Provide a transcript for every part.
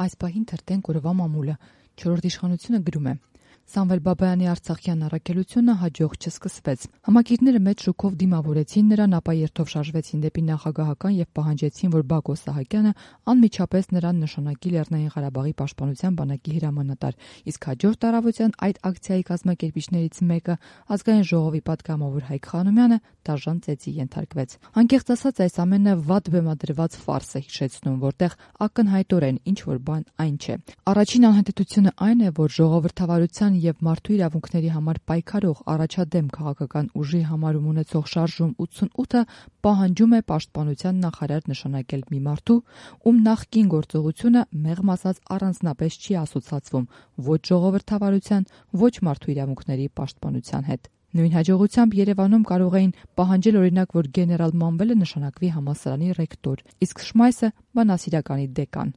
Այս պահին թերթենք օրվա մամուլը։ Չորրորդ իշխանությունը գրում է. Սամվել Բաբայանի արցախյան առաքելությունը հաջող չսկսվեց։ Համակիրները մեծ շուկով դիմավորեցին նրան, ապա երթով շարժվեցին դեպի նախագահական եւ պահանջեցին, որ Բակո Սահակյանը անմիջապես նրան նշանակի Լեռնային Ղարաբաղի պաշտպանության բանակի հրամանատար, իսկ հաջորդ առավոտյան այդ ակցիայի կազմակերպիչներից մեկը, Ազգային ժողովի պատգամավոր Հայկ Խանոմյանը, դաժան ծեծի ենթարկվեց։ Անկեղծ ասած, այս ամենը վատ բեմադրված ֆարս է հիշեցնում, որտեղ ակնհայտորեն ինչ որ բան այն չէ։ Առաջին անհետեցությունը այն է, որ ժողովրդավարության եւ մարդու իրավունքների համար պայքարող առաջադեմ քաղաքական ուժի համարում ունեցող շարժում 88-ը պահանջում է պաշտպանության նախարար նշանակել մի մարդու, ում նախկին գործողությունը մեղմ ասած առանձնապես չի ասոցացվում ոչ ժողովրդավարության, ոչ մարդու իրավունքների պաշտպանության հետ։ Նույն հաջողությամբ Երևանում կարող էին պահանջել օրինակ, որ գեներալ Մանվելը նշանակվի համալսարանի ռեկտոր, իսկ Շմայսը բանասիրականի դեկան։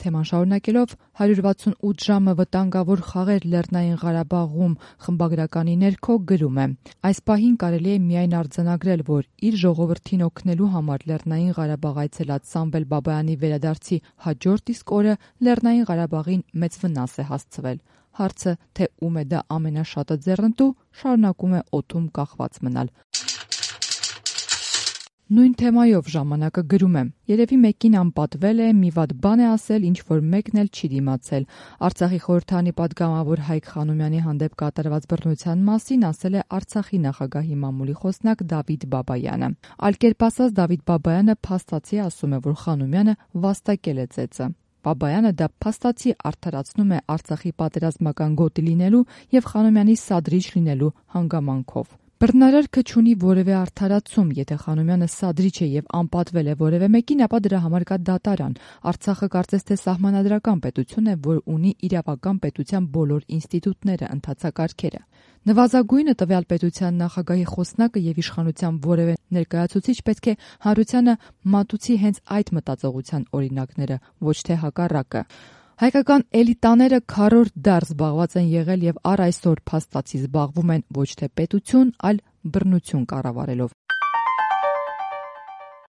Թեման շարունակելով 168 ժամը վտանգավոր խաղեր Լեռնային Ղարաբաղում խմբագրականի ներքո գրում է. Այս պահին կարելի է միայն արձանագրել, որ իր ժողովրդին օգնելու համար Լեռնային Ղարաբաղ այցելած Սամվել Բաբայանի վերադարձի հաջորդ իսկ օրը Լեռնային Ղարաբաղին մեծ վնաս է հասցվել։ Հարցը, թե ում է դա ամենաշատը ձեռնտու, շարունակում է օդում կախված մնալ։ Նույն թեմայով ժամանակը գրում է. Երևի մեկին անպատվել է, մի վատ բան է ասել, ինչ որ մեկն էլ չի դիմացել։ Արցախի խորհրդարանի պատգամավոր Հայկ Խանոմյանի հանդեպ կատարված բռնության մասին ասել է Արցախի նախագահի մամուլի խոսնակ Դավիթ Բաբայանը։ Այլ կերպ ասած, Դավիթ Բաբայանը փաստացի ասում է, որ Խանոմյանը վաստակել է ծեծը։ Բաբայանը դա փաստացի արդարացնում է Արցախի պատերազմական գոտի լինելու եւ Խանոմյանի սադրիչ լինելու հանգամանքով։ Բռնարարքը չունի որևէ արդարացում, եթե Խանոմյանը սադրիչ է եւ անպատվել է որևէ մեկին, ապա դրա համար կա դատարան։ Արցախը կարծես թե սահմանադրական պետություն է, որ ունի իրավական պետության բոլոր ինստիտուտները, ընթացակարգերը։ Նվազագույնը տվյալ պետության նախագահի խոսնակը եւ իշխանության որևէ ներկայացուցիչ պետք է հանրությանը մատուցի հենց այդ մտածողության օրինակները, ոչ թե հակառակը։ Հայկական էլիտաները քառորդ դար զբաղված են եղել եւ առ այսօր փաստացի զբաղվում են ոչ թե պետություն, այլ բռնություն կառավարելով։